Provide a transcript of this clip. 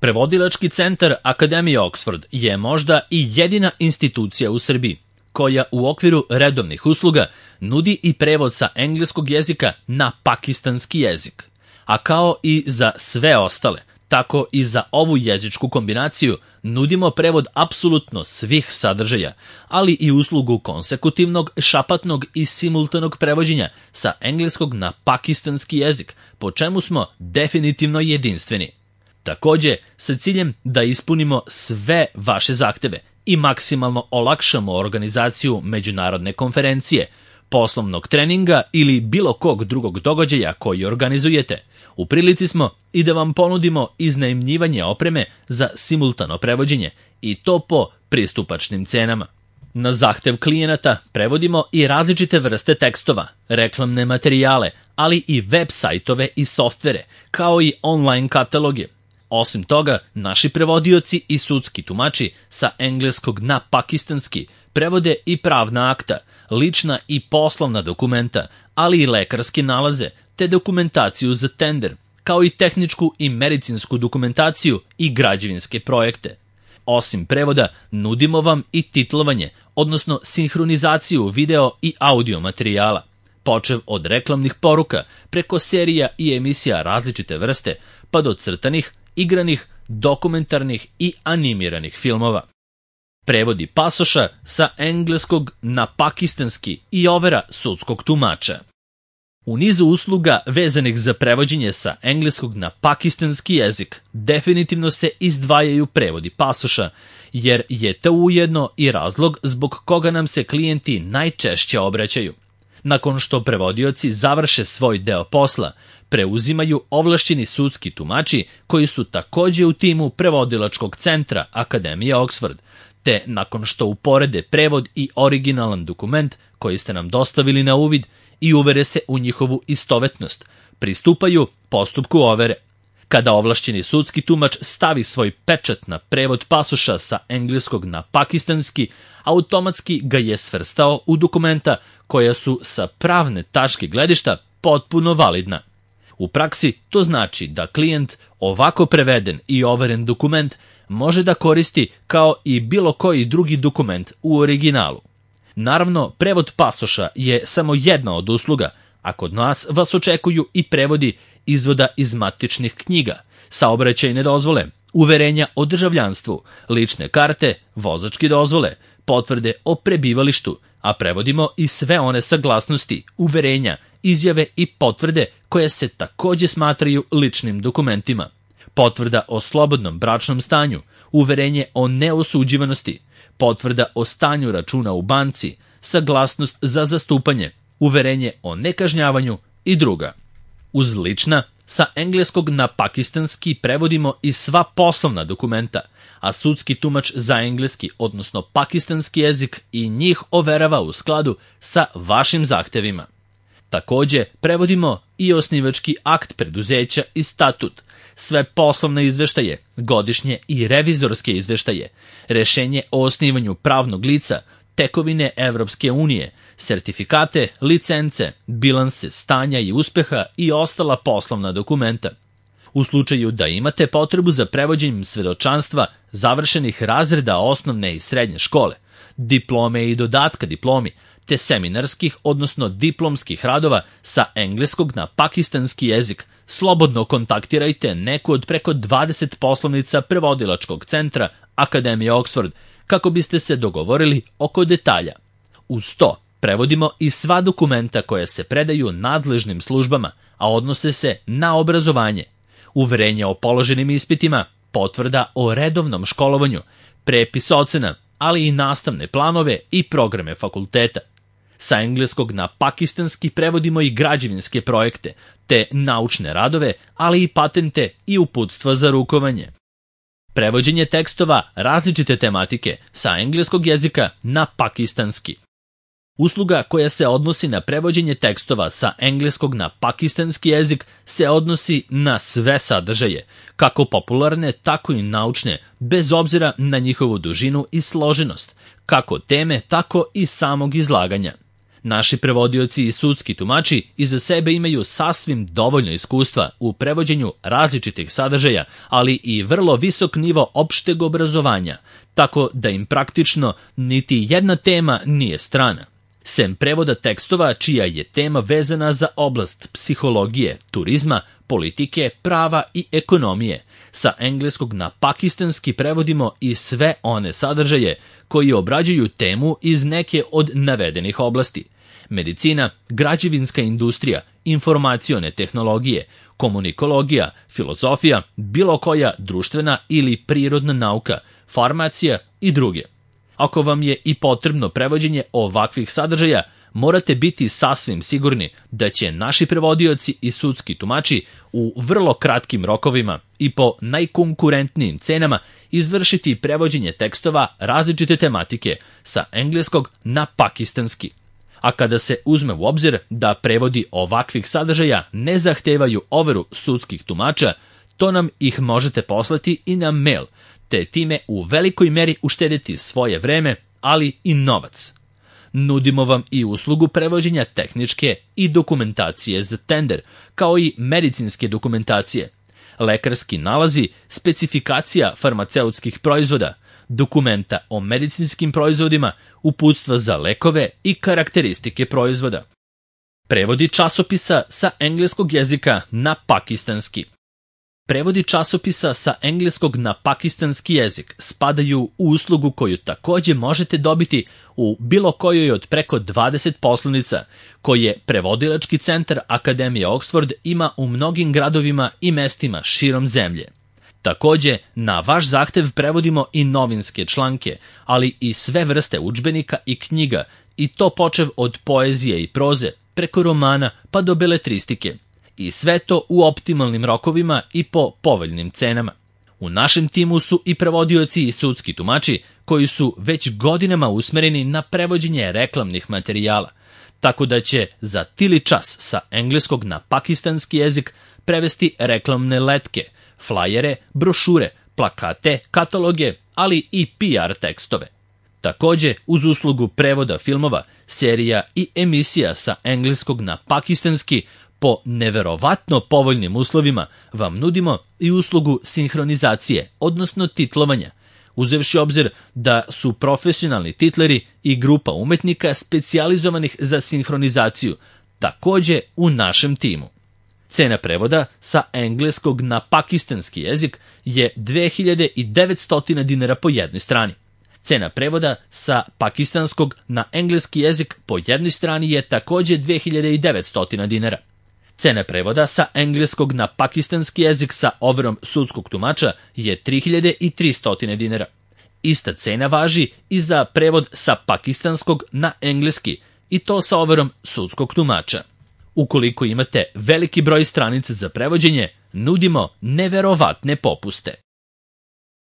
Prevodilački centar Akademije Oxford je možda i jedina institucija u Srbiji koja u okviru redovnih usluga nudi i prevod sa engleskog jezika na pakistanski jezik. A kao i za sve ostale, tako i za ovu jezičku kombinaciju nudimo prevod apsolutno svih sadržaja, ali i uslugu konsekutivnog, šapatnog i simultanog prevođenja sa engleskog na pakistanski jezik, po čemu smo definitivno jedinstveni. Takođe, sa ciljem da ispunimo sve vaše zahteve i maksimalno olakšamo organizaciju međunarodne konferencije, poslovnog treninga ili bilo kog drugog događaja koji organizujete, u prilici smo i da vam ponudimo iznajmljivanje opreme za simultano prevođenje i to po pristupačnim cenama. Na zahtev klijenata prevodimo i različite vrste tekstova, reklamne materijale, ali i web sajtove i softvere, kao i online kataloge. Osim toga, naši prevodioci i sudski tumači sa engleskog na pakistanski prevode i pravna akta, lična i poslovna dokumenta, ali i lekarske nalaze, te dokumentaciju za tender, kao i tehničku i medicinsku dokumentaciju i građevinske projekte. Osim prevoda, nudimo vam i titlovanje, odnosno sinhronizaciju video i audio materijala, počev od reklamnih poruka, preko serija i emisija različite vrste, pa do crtanih, igranih, dokumentarnih i animiranih filmova. Prevodi pasoša sa engleskog na pakistanski i overa sudskog tumača. U nizu usluga vezanih za prevođenje sa engleskog na pakistanski jezik definitivno se izdvajaju prevodi pasoša, jer je to ujedno i razlog zbog koga nam se klijenti najčešće obraćaju. Nakon što prevodioci završe svoj deo posla, preuzimaju ovlašćeni sudski tumači koji su takođe u timu prevodilačkog centra Akademije Oxford, te nakon što uporede prevod i originalan dokument koji ste nam dostavili na uvid i uvere se u njihovu istovetnost, pristupaju postupku overe. Kada ovlašćeni sudski tumač stavi svoj pečat na prevod pasoša sa engleskog na pakistanski, automatski ga je svrstao u dokumenta koja su sa pravne tačke gledišta potpuno validna. U praksi to znači da klijent ovako preveden i overen dokument može da koristi kao i bilo koji drugi dokument u originalu. Naravno, prevod pasoša je samo jedna od usluga, a kod nas vas očekuju i prevodi izvoda iz matičnih knjiga, saobraćajne dozvole, uverenja o državljanstvu, lične karte, vozačke dozvole, potvrde o prebivalištu, a prevodimo i sve one saglasnosti, uverenja, izjave i potvrde koje se takođe smatraju ličnim dokumentima. Potvrda o slobodnom bračnom stanju, uverenje o neosuđivanosti, potvrda o stanju računa u banci, saglasnost za zastupanje, uverenje o nekažnjavanju i druga. Uz lična, sa engleskog na pakistanski prevodimo i sva poslovna dokumenta, a sudski tumač za engleski, odnosno pakistanski jezik, i njih overava u skladu sa vašim zahtevima. Takođe, prevodimo i osnivački akt preduzeća i statut, sve poslovne izveštaje, godišnje i revizorske izveštaje, rešenje o osnivanju pravnog lica, tekovine Evropske unije, sertifikate, licence, bilanse stanja i uspeha i ostala poslovna dokumenta. U slučaju da imate potrebu za prevođenjem svedočanstva završenih razreda osnovne i srednje škole, diplome i dodatka diplomi, te seminarskih, odnosno diplomskih radova sa engleskog na pakistanski jezik, slobodno kontaktirajte neku od preko 20 poslovnica prevodilačkog centra Akademije Oxford kako biste se dogovorili oko detalja. Uz to, prevodimo i sva dokumenta koja se predaju nadležnim službama, a odnose se na obrazovanje, uverenje o položenim ispitima, potvrda o redovnom školovanju, prepis ocena, ali i nastavne planove i programe fakulteta. Sa engleskog na pakistanski prevodimo i građevinske projekte, te naučne radove, ali i patente i uputstva za rukovanje. Prevođenje tekstova različite tematike sa engleskog jezika na pakistanski. Usluga koja se odnosi na prevođenje tekstova sa engleskog na pakistanski jezik se odnosi na sve sadržaje, kako popularne, tako i naučne, bez obzira na njihovu dužinu i složenost, kako teme, tako i samog izlaganja. Naši prevodioci i sudski tumači iza sebe imaju sasvim dovoljno iskustva u prevođenju različitih sadržaja, ali i vrlo visok nivo opšteg obrazovanja, tako da im praktično niti jedna tema nije strana. Sem prevoda tekstova čija je tema vezana za oblast psihologije, turizma, politike, prava i ekonomije, sa engleskog na pakistanski prevodimo i sve one sadržaje koji obrađuju temu iz neke od navedenih oblasti. Medicina, građevinska industrija, informacione tehnologije, komunikologija, filozofija, bilo koja društvena ili prirodna nauka, farmacija i druge. Ako vam je i potrebno prevođenje ovakvih sadržaja, morate biti sasvim sigurni da će naši prevodioci i sudski tumači u vrlo kratkim rokovima i po najkonkurentnijim cenama izvršiti prevođenje tekstova različite tematike sa engleskog na pakistanski. A kada se uzme u obzir da prevodi ovakvih sadržaja ne zahtevaju overu sudskih tumača, to nam ih možete poslati i na mail, te time u velikoj meri uštediti svoje vreme, ali i novac. Nudimo vam i uslugu prevođenja tehničke i dokumentacije za tender, kao i medicinske dokumentacije, lekarski nalazi, specifikacija farmaceutskih proizvoda, dokumenta o medicinskim proizvodima, uputstva za lekove i karakteristike proizvoda. Prevodi časopisa sa engleskog jezika na pakistanski. Prevodi časopisa sa engleskog na pakistanski jezik spadaju u uslugu koju takođe možete dobiti u bilo kojoj od preko 20 poslovnica koje Prevodilački centar Akademije Oxford ima u mnogim gradovima i mestima širom zemlje. Takođe, na vaš zahtev prevodimo i novinske članke, ali i sve vrste udžbenika i knjiga, i to počev od poezije i proze, preko romana pa do beletristike. I sve to u optimalnim rokovima i po povoljnim cenama. U našem timu su i prevodioci i sudski tumači koji su već godinama usmereni na prevođenje reklamnih materijala, tako da će za tili čas sa engleskog na pakistanski jezik prevesti reklamne letke, flajere, brošure, plakate, kataloge, ali i PR tekstove. Takođe, uz uslugu prevoda filmova, serija i emisija sa engleskog na pakistanski, po neverovatno povoljnim uslovima vam nudimo i uslugu sinhronizacije, odnosno titlovanja, uzevši obzir da su profesionalni titleri i grupa umetnika specijalizovanih za sinhronizaciju, takođe u našem timu. Cena prevoda sa engleskog na pakistanski jezik je 2900 dinara po jednoj strani. Cena prevoda sa pakistanskog na engleski jezik po jednoj strani je takođe 2900 dinara. Cena prevoda sa engleskog na pakistanski jezik sa overom sudskog tumača je 3300 dinara. Ista cena važi i za prevod sa pakistanskog na engleski, i to sa overom sudskog tumača. Ukoliko imate veliki broj stranica za prevođenje, nudimo neverovatne popuste.